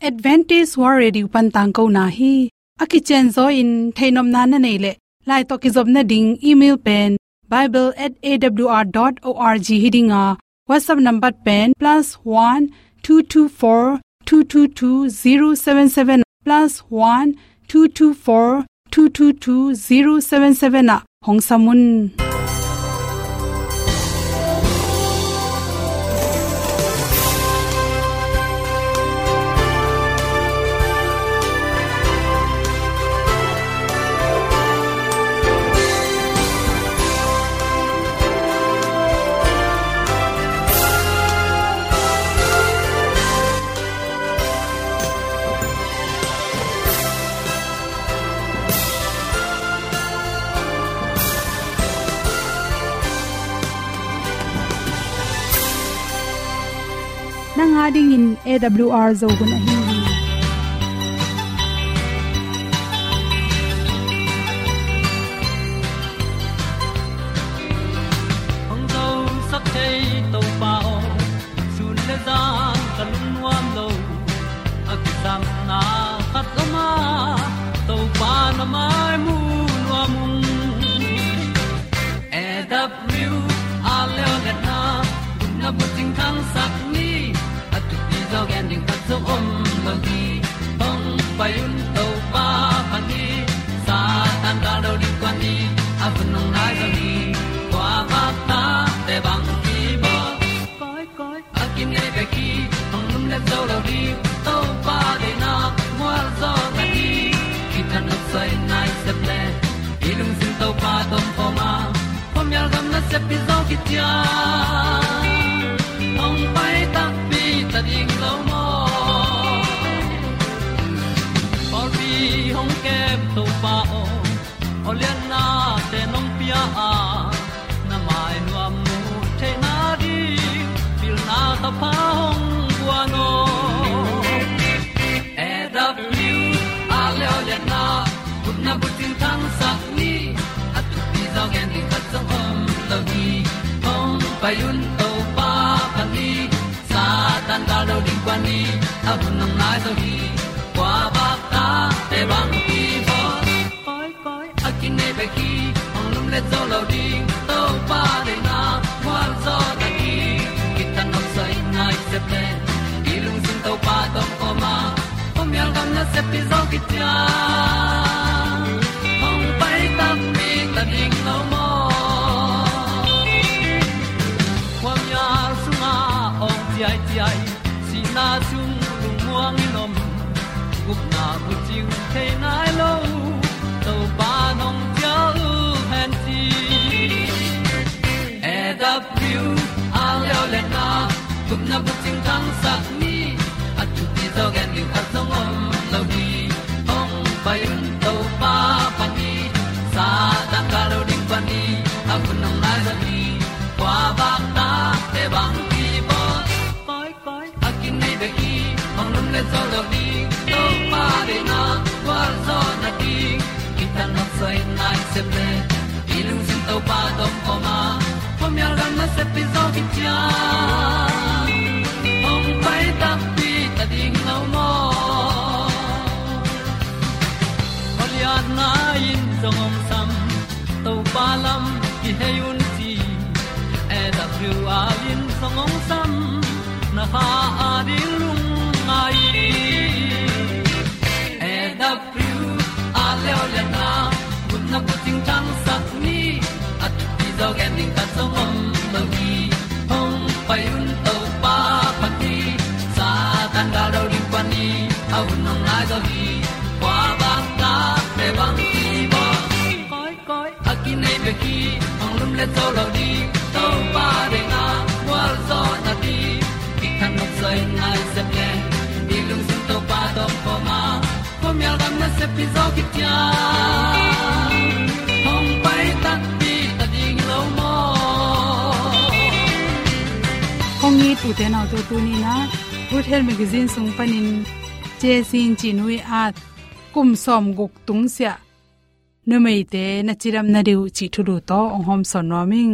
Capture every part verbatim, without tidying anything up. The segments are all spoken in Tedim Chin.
Adventist World Radio pan tangkona hi. A kicianzaw in theihnopna na neih leh, lai tawh kizopna ding email pen bible at A W R dot org hi ding a, WhatsApp number pen plus one two two four two two two zero seven seven, plus one two two four two two two zero seven seven ah hong sam un. Nang a dingin A W R Zo hun ahi hi. Hong zosak thei Topa aw, sun le zan ka lungnuam lo. A kisapna khat om a, Topa na mai mu nuam ung. A W R Zo hun na bucing thangsak ni, a thupi zaw gen ding khat zong om lo hi. Hong pai un Topa pan hi, Satan gal do ding kuan ni, a hun hong nai zaw hi. Kua bak ta te bang hi bawl. Koi, koi, a kinei bek hi, hong lumlet zo lo ding, Topa deihna mual zaw ta hi. Kitang nop soi nai sep le, i lungsim Topa tawh om khawm a, khuamial gam nasep pi zaw khit ciang hong pai takpi ta ding lo maw? Pawlpi hong kem Topa aw, awliatnate nong pia a, na mai nuam muh theihna ding pilna thapha hong guan aw. A W R Zo hun na bucing thangsak ni, a thupi zaw gen ding khat zong om lo hi. Hong pai un Topa pan hi, Satan gal do ding kuan ni, a hun hong nai zaw hi. Kua bak ta te bang hi bawl. Koi, koi, a kinei bek hi, hong lumlet zo lo ding, Topa deihna mual zaw ta hi. Kitang nop soi nai sep le, i lungsim Topa tawh om khawm a, khuamial gam nasep pi zaw khit ciang hong pai takpi ta ding lo maw? Khuamial sungah awng ciaiciai, sihna sung lungmuang in om, gupna bucing thei nai lo, Topa nong cial hen ci. A W R Zo hun na gupna bucing thangsak ni, a thupi zaw gen ding khat zong om lo hi. Hong pai un Topa pan hi, Satan gal do ding kuan ni, a hun hong nai zaw hi. Kua bak ta te bang hi bawl. Koi, koi, a kinei bek hi, hong lumlet zo lo ding, Topa deihna gualzawhna ding. Kitang nop soi nai sep le, i lungsim Topa tawh om khawm a, khuamial gam nasep pi zaw khit ciang hong pai takpi ta ding lo maw? Khualiatna in zong hong sam, Topa lam kihei un ci. A W R in zong hong sam, na kha a ding lungngai in. A W R Zo hun na bucing thangsak ni, a thupi zaw gen ding khat zong om lo hi. Hong pai un Topa pan hi, Satan gal do ding kuan ni, a hun hong nai zaw hi. Kua bak ta te bang hi bawl. Koi, koi, a kinei bek hi, hong lumlet zo lo ding, Topa deihna gualzawhna ding. Kitang nop soi nai sep le, i lungsim Topa tawh om khawm a, khuamial gam nasep pi zaw khit ciang hong pai takpi ta ding lo maw? Kong it ute naute, tuni-in ah Good Health Magazine sung panin Cezin Cih Nu i at kum sawmguk tungsiah numeite na cidamna ding uh cih thulu tawh hong hawmsawn nuam ing.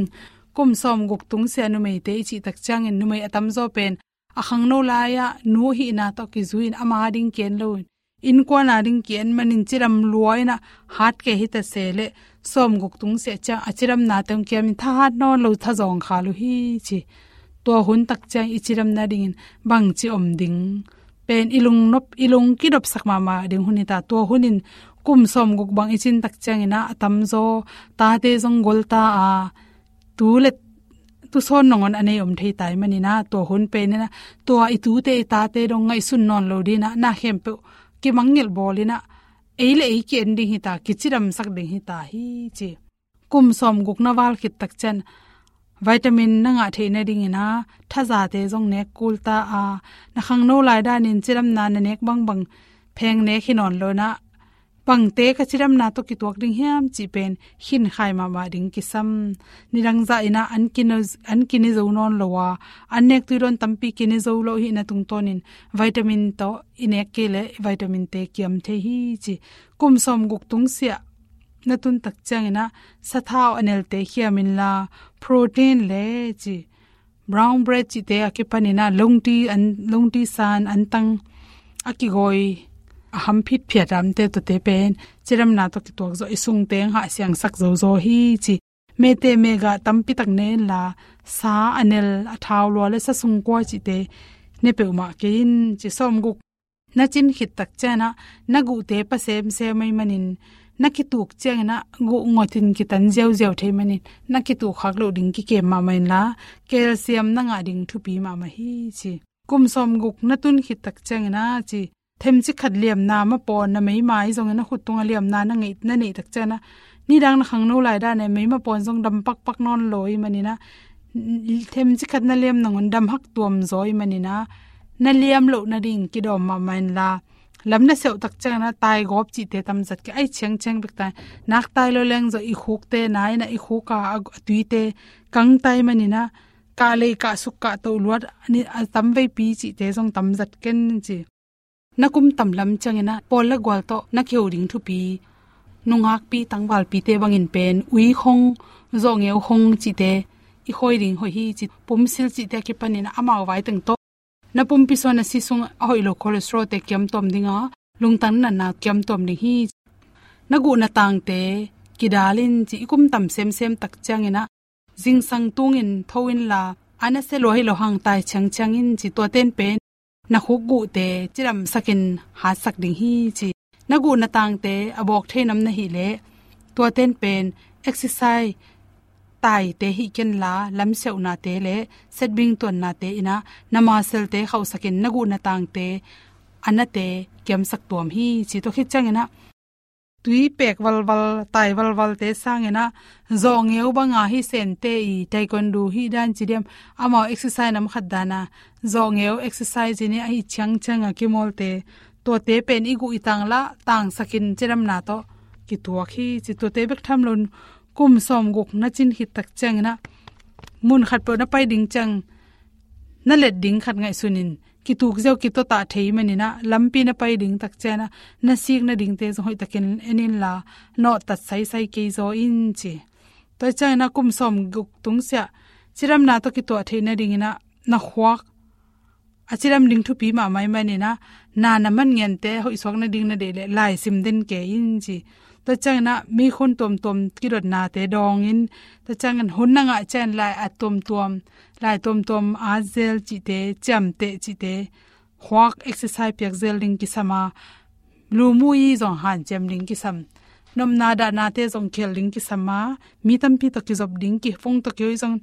Kum sawmguk tungsiah numeite i cih tak ciangin numei a tamzaw pen a khangno lai-ah nu hihna tawh kizui-in ama ding ki-en lo-in, innkuan a ding ki-en manin cidam lua-in ah hat kei hi ta se leh, sawmguk tung siah ciang a cidamnate hong kiamin thahat nawn lo, thazawng khal uh hi ci. Tua hun tak ciang i cidam nadingin bangci om ding pen i lungnop, i lung kidopsak mahmah ding hun hi ta. Tua hunin kum sawmguk bang i cin tak ciangin ah a tamzaw tate zong gol ta a, tu le tusawn nangawn a nei om thei ta ahih manin ah, tua hun penin ah tua i tute i tate dong ngaihsun nawn lo dingin ah na khempeuh kimangngilh bawlin ah, ei le ei ki-en ding hi ta, kicidamsak ding hi ta hi ci. Kum sawmguk na val khit tak ciang vitamin na ngah theih nadingin ah thazate zong nek kul ta a, na khangno lai danin cidamna na nek bangbang pheng nek hi nawn lo-in ah, bangte ka cidamna tawh kituak ding hiam cih pen khinkhai mahmah ding kisam. Nidang zahin ah an kine, an kine zo nawn lo a, an nek tui dawn tampi kine zo lo hihna tungtawnin vitamin tawh i nek kei leh vitamin-te kiam thei hi ci. Kum sawmguk tung siah na tun tak ciangin ah sathau a nelte khiam inla, protein le ci, brown bread cihte a kipanin ah lungti an, lungti san an tang a kigawi, a ham phitphiat a omte, tuate pen cidamna tawh kituak zawh, i sungte hong hahsiangsak zozaw hi ci. Mete megah tampi tak ne inla, sa a nel, a thau lua le sa sungkua cihte ne peuhmah kei in ci. Sawmguk na cin khit tak ciangin ah na guhte pa semsem ahih manin, na kituk ciangin ah guh ngotin kitan ziauziau thei manin, na kituk khak loh ding kikem mahmah inla, calcium na ngah ding thupi mahmah hi ci. Kum sawmguk na tun khit tak ciangin ah ci, themcik khat liamna mapawn na meima ahi zongin, na khut tungah liamna na ngeih, na neih tak ciangin ah, nidang na khangno lai danin meima pawn zong dam pakpak nawn lo ahih manin ah, themcik khat na liam nangawn dam hak tuam zaw ahih manin ah, na liam loh nading kidawm mahmah inla, lam na seuh tak ciangin ah taigawp cihte tamzat kei, a it ciangciang bek ta, nak tai lo leng zawh i khukte nai-in ah, i khuk a, a tuite kang ta ahih manin ah, kah lei, kah suk, kah toh luat, a tamveipi cihte zong tamzat ken ci. Na kum tam lam ciangin ah pawl le gual tawh na kiho ding thupi, nungakpi tangvalpite bangin pen ui khong, zawhngeu khong cihte i khawi ding hoih hi ci. Pumsil cihte a kipanin ah amau vai teng tawh na pumpi sung, na si sung a hoih lo cholesterol-te kiam tuam ding a, lungtang natna kiam tuam ding hi. Na guh na tangte kidal in ci. I kum tam semsem tak ciangin ah zingsang tungin tho inla, a nasia lua hi lo hang tai ciangciang in ci. Tuate'n pen na khuk guhte cidamsakin hatsak ding hi ci. Na guh na tangte a bawk thei nam na hih leh, tuate'n pen exercise taite hih kenla, lamsiauhnate le setbing tuannate in ah na muscle-te khauhsakin na guh na tangte a nate kiamsak tuam hi ci. Tua khit ciangin ah tui pek valval, tai valvalte sangin ah zawhngeu banga hi sente i, taekwondo hi dan ci diam, amau exercise nam khat dan a zawhngeu exercise in i a hi ciangciang a kimawlte, tuate pen i guh i tang lah tangsakin cidamna tawh kituak hi ci. Tuate bek tham loin kum sawmguk na cin khit tak ciangin ah mun khat peuh na pai ding ciang na let ding khat ngaihsunin, kituk ziau kitotah thei manin ah lampi na pai ding tak ciangin ah na sik nadingte zong hoihtakin en inla, nawhtat saisai kei zaw in ci. Tua ciangin ah kum sawmguk tungsiah cidamna tawh kituah theih nadingin ah na khuak a cidam ding thupi mahmah ahih manin ah, na na man ngente hoihsuak nading na deih leh laisim den kei in ci. Tua ciangin ah mikhun tuamtuam kidotnate dawngin, tua ciangin hun na ngah ciangin lai at tuamtuam, lai tuamtuam at zel cihte, ciamteh cihte, khuak exercise piak zel ding kisam a, lu mu i zong hanciam ding kisam, nopna dahnate zong khel ding kisam a, mi tampi tawh kizop ding, kifung tawh kihoih zong,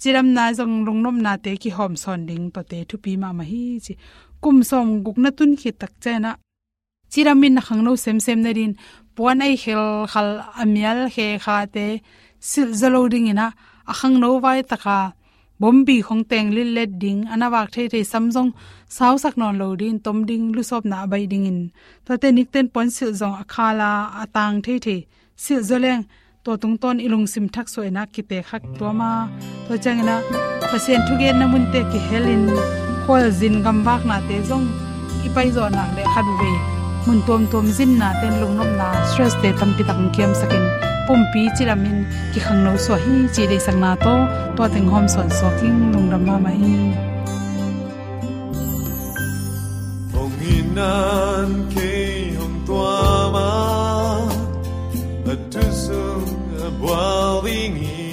cidamna zong lungnopnate kihawmsawn ding, tuate thupi mahmah hi ci. Kum sawmguk na tun khit tak ciangin ah cidamin na khangno semsem nadingin puan ei khelkhal, a mial khekhate silh zaw lo dingin ah, a khangno vai taka bombi khong teng lillet ding, a na vak theithei sam zong sausak nawn lo dingin, tom ding, lusawpna a baih dingin, tuate nikten puan silh zong a khal a, a tang theithei silh zaw leng, tua tungtawn i lungsim thaksuah in ah kitekhak tuam a, tua ciangin ah Pasian thugenna munte kihelin, khualzin gamvaknate zong i paizawh nak leh khatvei mun tuamtuam zinnate'n lungnopna, stresste tampi tak hong kiamsakin, pumpi cidamin kikhangno suak hi cih deihsakna tawh tua teng hawmsawn suak ing. Lungdam mahmah hi. Nan kei hong tuam a, a thu sung a bual ding hi.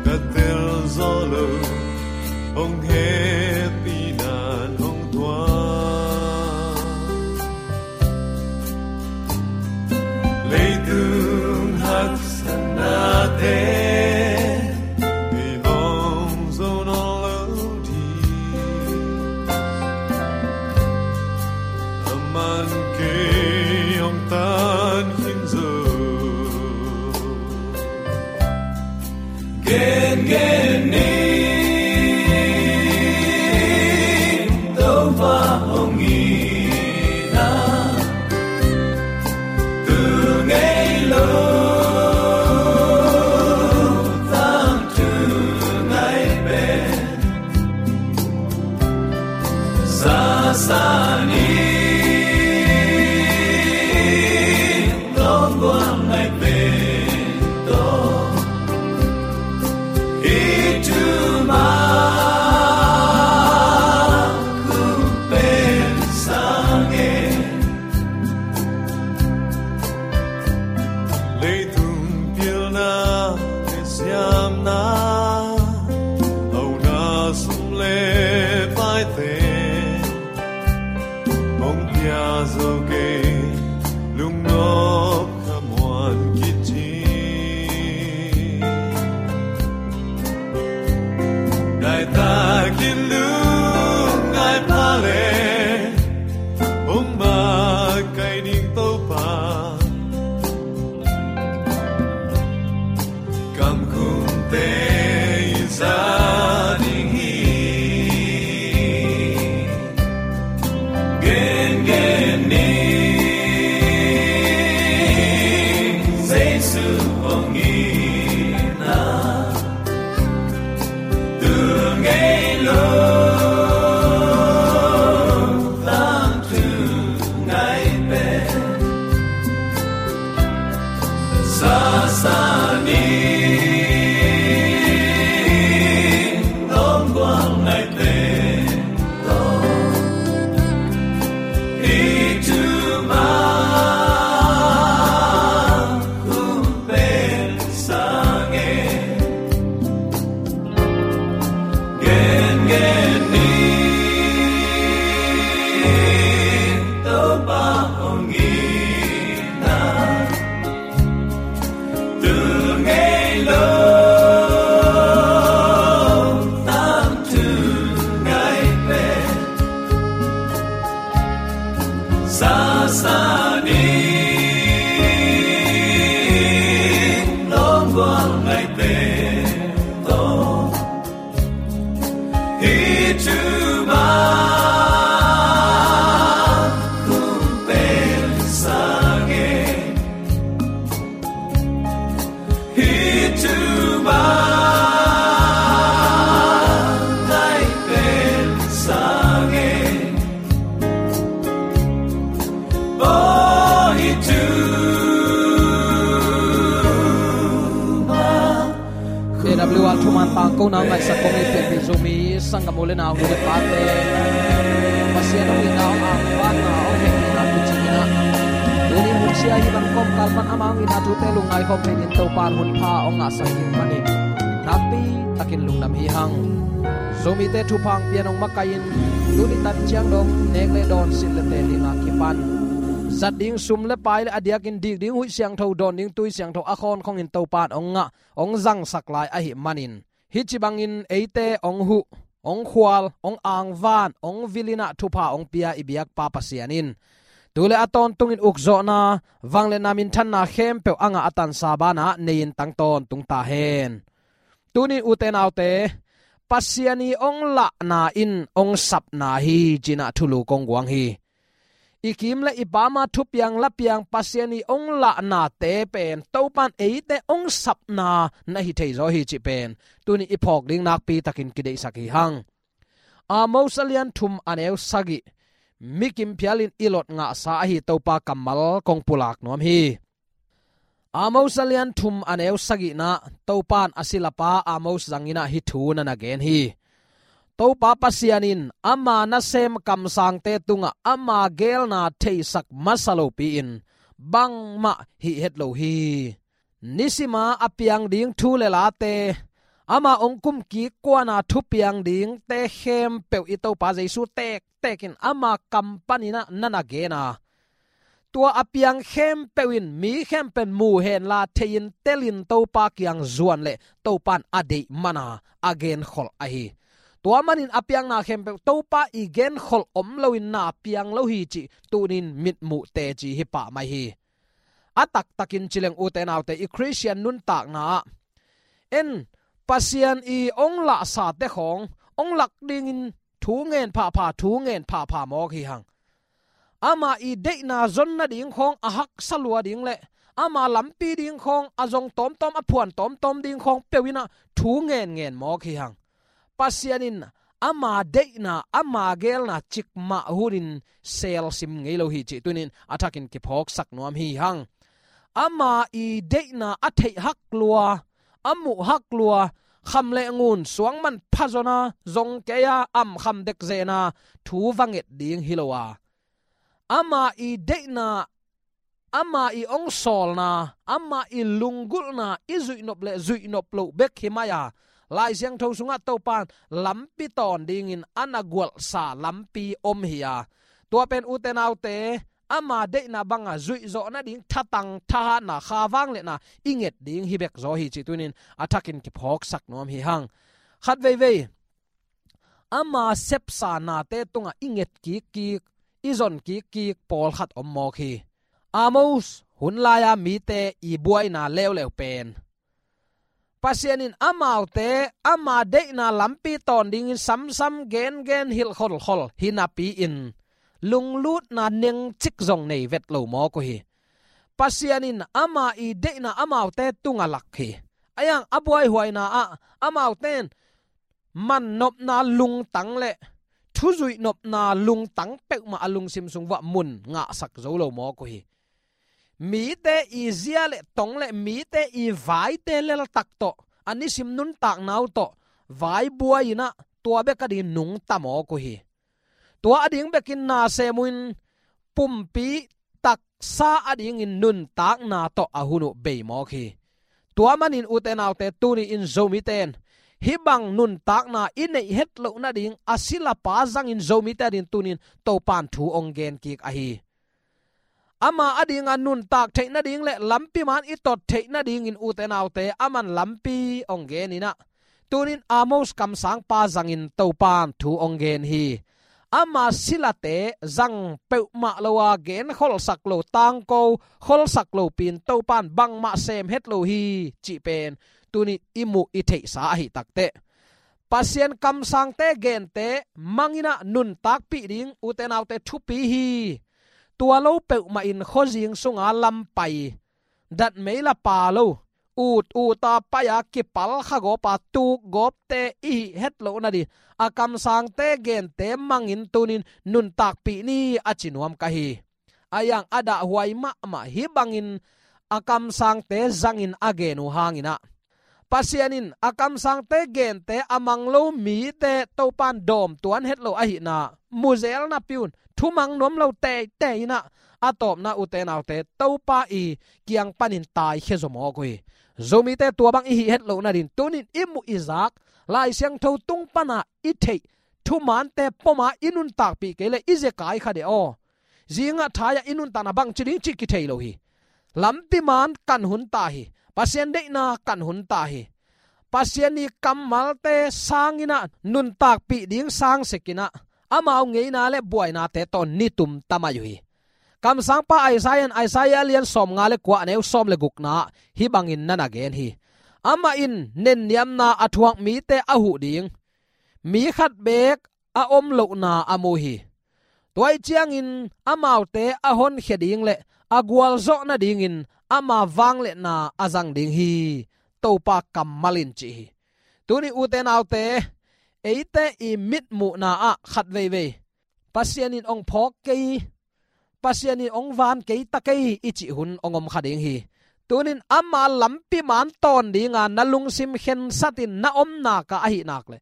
Ka tel zo lo, hong hehpih nan hong tuam. Leitung haksatnate i hong zo nawn lo ding. Aman kei hong tan khin zo. Gengen ni, Topa hong itna, tu ngei lo, tangthu ngai pen. Sasa ni, tong guang ngai pen tong. Hi thu mah kong pen sang e. Leitung pilna le siamna, hauna sum le paite hong pia zo kei, lungnop khamuan khit hi. Ngai takin lungngai pha le, hong makaih ding Topa. Kamkhumte i za ding hi. Gengen ni, Jesu hong itna, tu ngei lo, tangthu ngai pen. Sasa ni, tong guang ngai pen tong. Hi thu mah kong pen sang e. Gengen ni, Topa hong itna, tu ngei lo, tangthu ngai pen. Sasa ni, tong guang ngai pen tong. Hi thu mah kong pen sang e. Hi thu mah ngai pen sang e. Oh, hi thu mah. A W R thuman tangkona ngaihsak kong i pianpih Zomi sanggam u le nau, nu le pate, Pasian hong itna, hong angvanna, hong hehpihna kicingna, tuni hun sia hih bang kawmkal pan ama hong itna thute lungngai khawm thei dingin Topa in hun pha hong ngahsak hi manin nakpi takin lungdam hi hang. Zomite thupha hong pia-in hong makaih in, tuni tan ciang dong nek le dawn, silh le tel ding a kipan zat ding sum le pai le a diakin dik ding huih siangtho, dawn ding tui siangtho a khawnkhongin Topa in hong ngah, hong zangsak lai ahih manin, hih ci bangin eite hong huh, hong khual, hong angvan, hong vil in ah thupha hong pia i biakpa Pasian in tu le a tawntungin ukzawhna, vangliatna, minthanna khempeuh a ngah a tansa banah nei-in tang tawntung ta hen. Tuni ute naute, Pasian i hong lahna in hong sapna hi ci-in ah thulu kong guang hi. I kim le i pam a thupiang lapiang Pasian i hong lahnate pen Topa in eite hong sapna na hi thei zaw hi cih pen tuni i phawk ding nakpi takin kideihsak hi hang. Amos a lian thum a neu sagih, mi kim phialin i lot ngahsa ahi Topa kammal kong pulak nuam hi. Amos a lian thum a neu sagihna, Topa in a silapa Amos zangin ah hih thu na na gen hi. Topa Pasian in ama nasem kamsangte tungah ama geelna theisak masa lopi-in bangmah hih het lo hi. Nisima a piang ding thu le late, ama hong kumkik kuana thupiang dingte khempeuh i Topa Jesu tektekin ama kam paninah na na gen a, tua a piang khempeuh in mi khempeuh in mu henla thei-in telin Topa kiang zuan leh Topa in a deih mana a genkhol ahi. Tua manin a piangna khempeuh Topa i genkhol om loin na piang lo hi cih tunin mitmuh teci hi pah mai hi. A taktakin ci leng, ute naute, i Khristian nuntakna ah en, Pasian i hong lahsate khawng hong lak dingin thu ngen phapha, thu ngen phapha mawk hi hang. Ama i deihna zon nading khawng a haksa lua ding le ama lampi ding khawng a zong tawmtawm, a phuan tawmtawm ding khawng peuh inah thu ngen ngen mawk hi hang. Pasian in ama deihna, ama geelna cikmah hunin selsim ngei lo hi cih tunin a thakin kiphawksak nuam hi hang. Ama i deihna a theih hak lua, a muh hak lua, kham le ngun, suangman phazona, zong kei-a, am kham dekzena thu va nget ding hi lo a, ama i deihna, ama i hong sawlna, ama i lunggulhna i zuihnop le zuihnop loh bek hi mai a, Lai Siangtho sungah Topa in lampi tawn dingin a na gualhsa lampi om hi a, tua pen, ute naute, ama deihna banga zuihzawh nading thatang thahatna, kha vangliatna i nget ding hi bek zaw hi cih tunin a thakin kiphawksak nuam hi hang. Khat veivei, ama sepsa nate tungah i nget kikkik, i zon kikkik pawlkhat om mawk hi. Amos hun lai-a mite i buaina leuleu pen, Pasian in amaute ama deihna lampi tawn dingin samsam gengen hilh kholkhol hi napi-in lunglutna nengcik zong nei vet lo mawk uh hi. Pasian in ama i deihna amaute tungah lak hi. A iang a buaihuaina ah amaute in mannopna lungtang le thuzuihnopna lungtang peuhmah a lungsim sung vuah mun ngahsak zo lo mawk uh hi. Mite i zia le tong le mite i vaite leltak tawh, a nisim nuntakna uh tawh vai buai-inah tua bek a dingin nungta mawk uh hi. Tua a ding bekin nasem uh in pumpi taksa a dingin nuntakna tawh a hun uh bei mawk hi. Tua manin, ute naute, tuni-in Zomite in hih bang nuntakna i neih het loh nading a silapa zangin Zomite a dingin tuni-in Topa in thu hong gen kik ahi. Ama a dinga nuntak theih nading le lampi man i tot theih nadingin, ute naute, aman lampi hong gen inah, tunin Amos kamsangpa zangin Topa in thu hong gen hi. Ama silate zang peuhmah lo a, gen kholsak lo, tangko kholsak lopi-in Topa in bangmah sem het lo hi cih pen tuni i muh i theihsa ahi takteh, Pasian kamsangte gente mang inah nuntakpih ding, ute naute, thupi hi. Tua lo peuhmah in khuazing sunga lampai, datmei la pa lo, ut uta pai-a kipal kha gawpa tuk gawpte i hih het loh nading a kamsangte gente mangin tunin nuntakpih ni, a ci nuam ka hi. A iang a dahhuai mahmah hih bangin a kamsangte zangin a gen uh hanginah, Pasian in a kamsangte gente a mang lo mite Topa in dawm tuan het lo ahihna muzel napi-un thumang nuam lo teitei inah, a tawpna, ute naute, Topa i kiang panin taikhia zaw mawk uh hi. Zomite tua bang i hih het loh nading tunin i muh i zak, Lai Siangtho tung pana i theih thumante poma i nuntakpih kei le i zekai kha deh aw. Zingah thai-ah i nuntakna bangci ding cih kithei lo hi. Lampi man kan hun ta hi. Pasian deihna kan hun ta hi. Pasian i kammalte sanginah nuntakpih ding sangsekinah amau ngeina le buainate tawh nitum ta mai uh hi. Kamsangpa Isaiah in Isaiah a lian sawmnga le kua, a neu sawm le gukna ah hih bangin na na gen hi. Amah in nenniamna a thuak mite a huh ding, mi khat beek a om lohna a mu hi. Tua ih ciangin amaute a honkhia ding le a gualzawh nadingin ama vangliatna a zang ding hi, Topa kammal in ci hi. Tuni, ute naute, eite i mitmuhna ah khat veivei Pasian in hong phawk kei, Pasian in hong van kei ta kei i cih hun hong om kha ding hi. Tunin ama lampi man tawn dinga na lungsim khensatin na om nak a, ahih nak le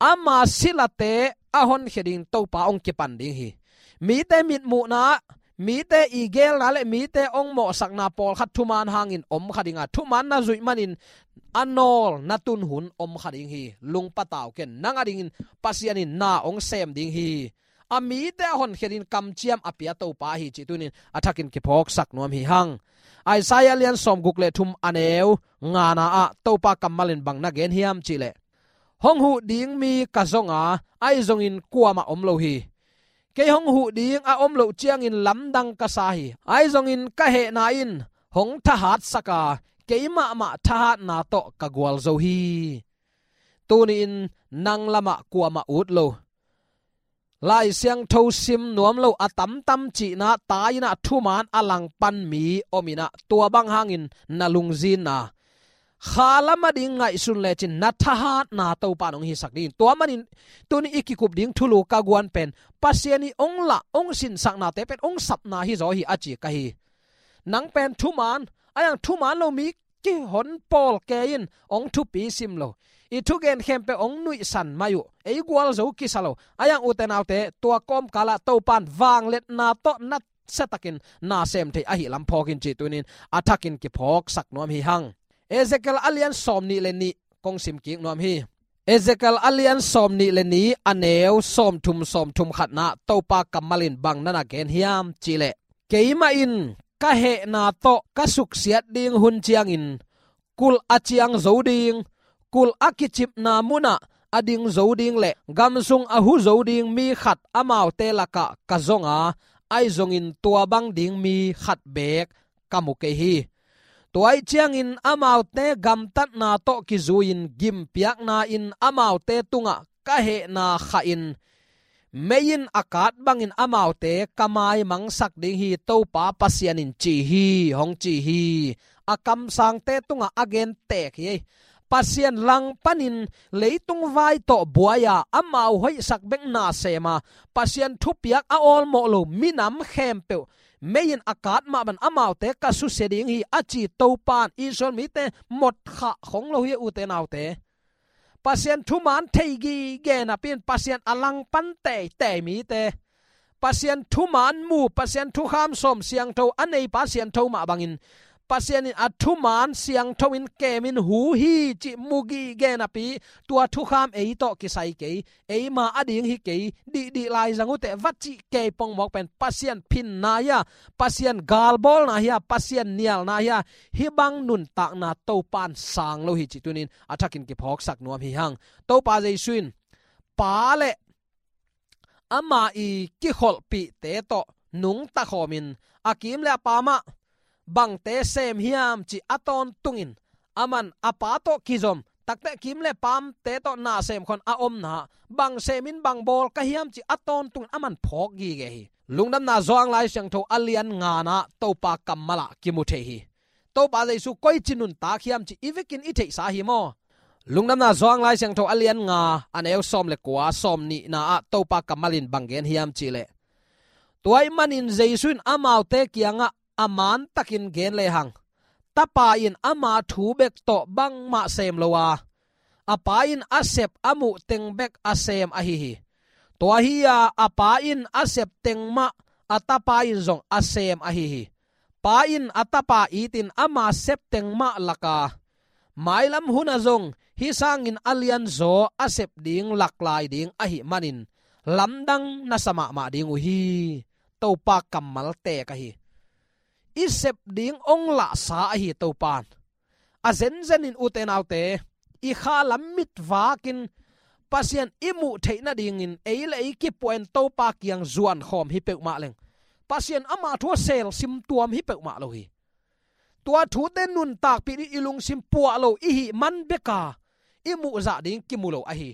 ama silate a honkhia ding Topa hong kipan ding hi. Mite mitmuhna, mite i gelna le mite hong mawhsakna pawlkhat thuman hangin om kha ding a, thuman na zuih manin a nawl na tun hun om kha ding hi. Lungpatau ken, nang adingin Pasian in na hong sem ding hi. A mite a honkhia dingin kamciam a pia Topa hi cih tunin a thakin kiphawksak nuam hi hang. Isaiah lian sawmguk le thum, a neu ngana ah Topa kammal in bang na gen hiam cih leh, hong huh ding mi ka zong a, ahi zongin kuamah om lo hi. Kei hong huh ding a om loh ciangin lamdang ka sa hi. Ahi zongin ka hehna in hong thahatsak a, kei mahmah thahatna tawh ka gualzo hi. Tuni-in nang lamah kuamah ut lo, Lai Siangtho sim nuam lo a tamtam cihna, tai-in ah thuman a langpan mi om in ah, tua bang hangin na lungzinna, kha lam ading ngaihsun lecin na thahatna Topa in hong hisak ding. Tua manin tuni i kikup ding thulu ka guan pen, Pasian i hong lah, hong sinsaknate pen hong sapna hi zaw hi a ci ka hi. Nang pen thuman, a yang thuman lo mi kihon pawl kei in, hong thupi sim lo, i thugen khempeuh hong nuihsan mai uh, ei gualzo kisa lo. A yang ute naute, tua kawmkalah Topan vangliatna tawh na siatakin na sem thei ahih lam phawk in cih tunin a thakin kiphawksak nuam hi hang. Ezekiel a lian sawmnih le nih kong sim kik nuam hi. Ezekiel a lian sawmnih le nih, a neu sawmthum, sawmthum khatna, Topa kammal in bang na na gen hiam cih leh, keimah in ka hehna tawh ka suksiat ding hun ciangin, kulh a ciang zo ding, kulh a kicipna munah a ding zo ding le gam sung a hu zo ding mi khat amaute lakah ka zong a, ahi zongin tua bang ding mi khat beek ka mu kei hi. Tua ahih ciangin amaute gamtatna tawh kizui-in gimpiakna-in amaute tungah ka hehna khahin, mei in a kat bangin amaute ka maimangsak ding hi, Topa Pasian in ci hi, hong ci hi. A kamsangte tungah a gen tek hi. Pasian langpanin leitung vai tawh buai-a amau hoihsak bek na sem a, Pasian thupiak a awlmawh lo minam khempeuh mei in a kat mah bangin amaute ka susia ding hi a ci Topan Israel mite mawk khah khong lo hi, ute naute. Pasian thuman thei gige napi-in Pasian a langpan teitei mite, Pasian thuman mu, Pasian thukham sawm siangtho a neipa siangtho mah bangin, Pasian in a thuman siangtho in kemin hu hi cih mu gige napi, tua thukham ei tawh kisai kei, eima ading hi kei, dihdih lai zang uh teh va cih kei pongmawk pen Pasian phinna hi a, Pasian galbawlna hi a, Pasian nialna hi a, hih bang nuntakna Topan sang lo hi cih tunin a thakin kiphawksak nuam hi hang. Topa Jesu in Pa le ama i kikholhpihte tawh nungta khawmin, a kim le a pam ah bangte sem hiam cih a tawntungin, aman a Pa tawh kizom, takte kim le pamte tawh na sem khawng a omna, bang semin bang bawl ka hiam cih a tawntungin aman phawk gige hi. Lungdamna Johan Lai Siangtho a lian ngana Topa kammal ah kimu thei hi. Topa Jesu koici nuntak hiam cih i vekin i theihsa hi maw? Lungdamna Johan Lai Siangtho a lian nga, a neu sawm le kua, sawmnihna ah Topa kammal in bang gen hiam cih leh, tua ahih manin Jesu in amaute kiangah a mantakin gen lehang, Tapa in ama thu bek tawh bangmah sem lo a, a Pa in a sep a muh teng bek a sem ahi hi. Tua hi-a a Pa in a sep teng mah a Tapa in zong a sem ahi hi. Pa in a Tapa itin ama sep teng mah lak a, mailam hunah zong hih sangin a lianzaw a sep ding lak lai ding ahih manin lamdang na sa mahmah ding uh hi. Topa kammal tek ahi. I sep ding hong lahsa ahi Topan. A zenzenin ute naute, i kha lam mit vakin Pasian i muh theih nadingin ei le ei kipuah in Topa kiang zuan khawm hi peuhmah leng, Pasian ama thu a selsim tuam hi peuhmah lo hi. Tua thute nuntakpih ding i lungsim puah lo i hih man beka i muhzah ding kimu lo ahi.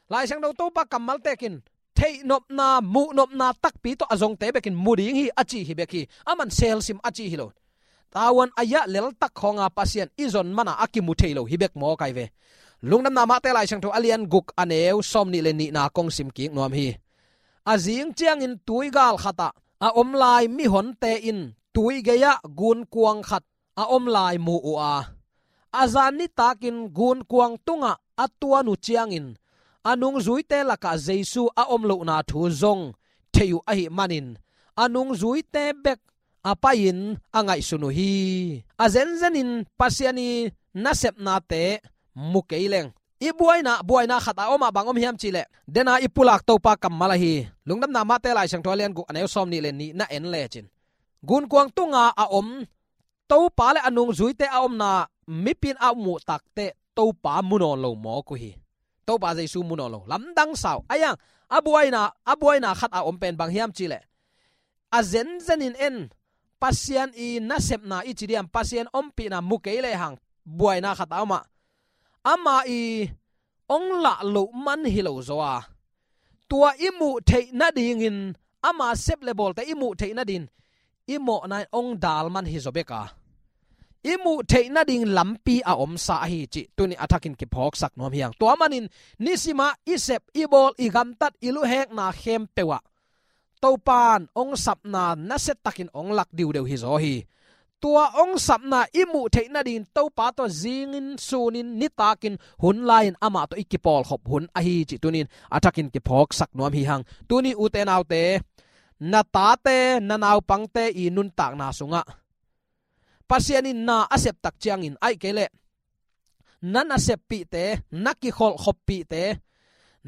Lai Siangtho Topa kammal tekin theihnopna, muhnopna takpi tawh a zongte bekin mu ding hi a ci hi bek hi. Aman selsim a ci hi lo. Tawan a yah leltak khawnga Pasian i zon mana a kimu thei lo hi bek maw kai ve. Lungdamna Mate Lai Siangtho a lian guk, a neu sawmnih le nihna kong sim kik nuam hi. A zing ciangin tuigal khatah a om lai mihonte in tui gei-ah gunkuang khat a om lai mu uh a, a zan nitakin gunkuang tungah a tuan uh ciangin, a nungzuite lakah Jesu a om lohna thu zong thei uh ahih manin, a nungzuite bek a pai-in a ngaihsun uh hi. A zenzenin Pasian i nasepnate mu kei leng, i buaina, buaina khat a om ah bang om hiam cihleh, dena i pulak Topa kammal ahi. Lungdamna Mate Lai Siangtho a lian guk a neu sawm nih le nih na en lecin, gunkuang tunga a om Topa le a nungzuite a omna mipi in a muh takteh Topa mu nawn lo mawk uh hi. Topa Jesu mu nawn lo. Lamdang sau. A iang, a buaina, a buaina khat a om pen bang hiam cihleh, a zenzenin en, Pasian i nasepna i ci diam, Pasian ompihna mu kei lehang, buaina khat a om ah, ama i ong lah loh man hi lo zaw a, tua i muh theih nadingin, ama sep le bawlte i muh theih nadin i mawhna in ong dal man hi zaw bek a, i muh theih nading lampi a omsa ahi cih tuni a thakin kiphawksak nuam hi hang. Tua manin nisimah i sep, i bawl, i gamtat, i luhekna khempeuh ah Topan ong sapna nasiatakin ong lak diudeu hi zaw hi. Tua ong sapna i muh theih nadin Topa tawh zingin, sunin, nitakin, hun lai-in amah tawh i kipawlkhop hun ahi cih tunin a thakin kiphawksak nuam hi hang. Tuni ute naute, na tate, na naupangte i nuntakna sungah Pasian in na a septak ciangin, ahih kei leh na naseppihte, na kikholhkhoppihte,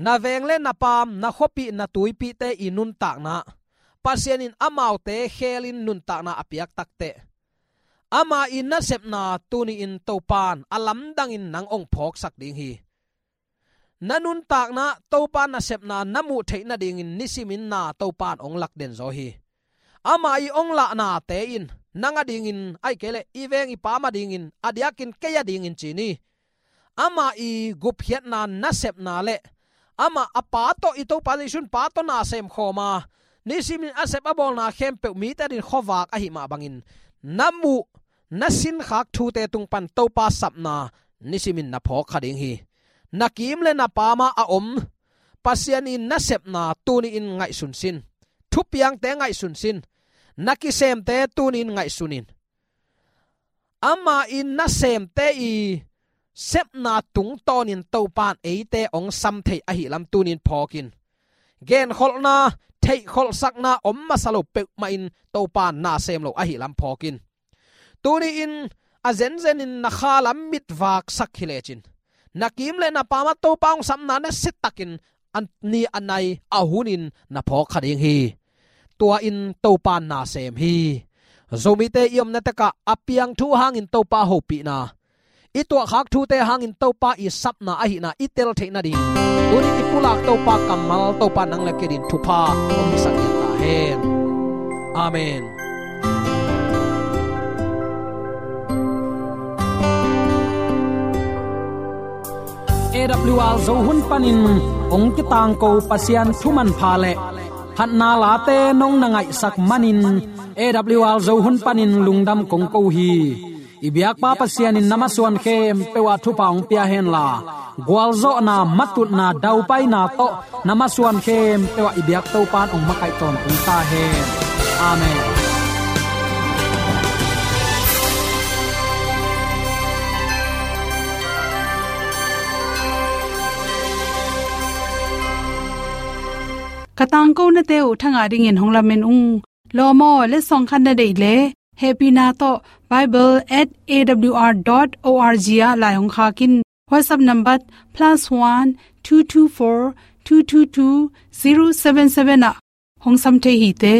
na veng le na paam, na khuapih, na tuipihte i nuntakna, Pasian in amaute khelin nuntakna a piak takteh, ama i nasepna tuni-in Topan a lamdangin nang ong phawksak ding hi. Na nuntakna Topa nasepna na muh theih nadingin nisimin na Topan ong lak den zaw hi. Ama i ong lahnate in nang adingin, ahih kei leh i veng i paam adingin, a diakin kei adingin ci ni. Ama i gupkhiatna nasepna le ama a Pa tawh, i Topa Jesu in Pa tawh na sem khawm a, nisimin a sep a bawlna khempeuh mite adingin khuavak ahih mah bangin, na muh, na sinkhak thute tung pan Topa sapna nisimin na phawk kha ding hi. Na kiim le na paam ah a om Pasian i nasepna tuni-in ngaihsun sin. Thupiangte ngaihsun sin. Na kisemte tuni-in ngaihsun in. Ama i nasemte i sepna tungtawnin Topan eite ong sam thei ahih lam tuni-in phawk in. Genkholhna, theihkholhsakna om masa lo peuhmah in Topan na sem lo ahih lam phawk in. Tuni-in a zenzenin na khalam mitvaksak hi lecin, na kiim le na paam ah Topa ong sapna nasiatakin a ni a nai a hunin na phawk kha ding hi. Tua in Topan na sem hi. Zomite i omna tekah a piang thu hangin Topa hopihna, i tuahkhak thute hangin Topa i sapna ahihna i tel theih nading, tuni i pulak Topa kammal, Topa nang le kei adingin thupha ong hisak lian ta hen. Amen. A W R Zo hun panin ong kitangko Pasian thu manpha le phatna late nong na ngaihsak manin, A W R Zo hun panin lungdam kong ko hi. I biakpa Pasian in na masuan khempeuh ah thupha ong pia henla, gualzawhna, matutna, daupaina tawh na masuan khempeuh ah i biak Topan ong makaih tawntung ta hen. Amen. Ka tangkonate uh thangah dingin hong lamen ung. Lawm aw, letsong khat na deih leh, hehpihna tawh bible at A W R dot O R G ah lai hong khak in. WhatsApp number plus one two two four two two two zero seven seven ah hong sam thei hi te.